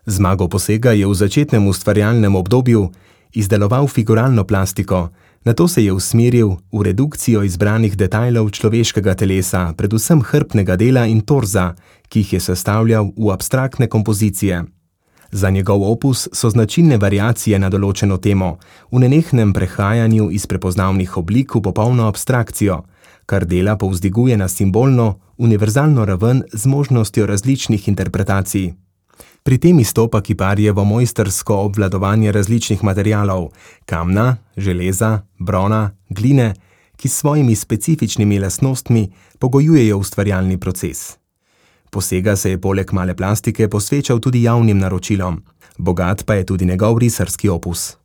Zmago Posega je v začetnem ustvarjalnem obdobju izdeloval figuralno plastiko, nato se je usmeril v redukcijo izbranih detajlov človeškega telesa, predvsem hrbtnega dela in torza, ki jih je sestavljal v abstraktne kompozicije. Za njegov opus so značilne variacije na določeno temo, v nenehnem prehajanju iz prepoznavnih oblik v popolno abstrakcijo, kar dela povzdiguje na simbolno, univerzalno raven z možnostjo različnih interpretacij. Pri tem izstopa kiparjevo mojstrsko obvladovanje različnih materialov, kamna, železa, brona, gline, ki s svojimi specifičnimi lastnostmi pogojujejo ustvarjalni proces. Posega se je poleg male plastike posvečal tudi javnim naročilom, bogat pa je tudi njegov risarski opus.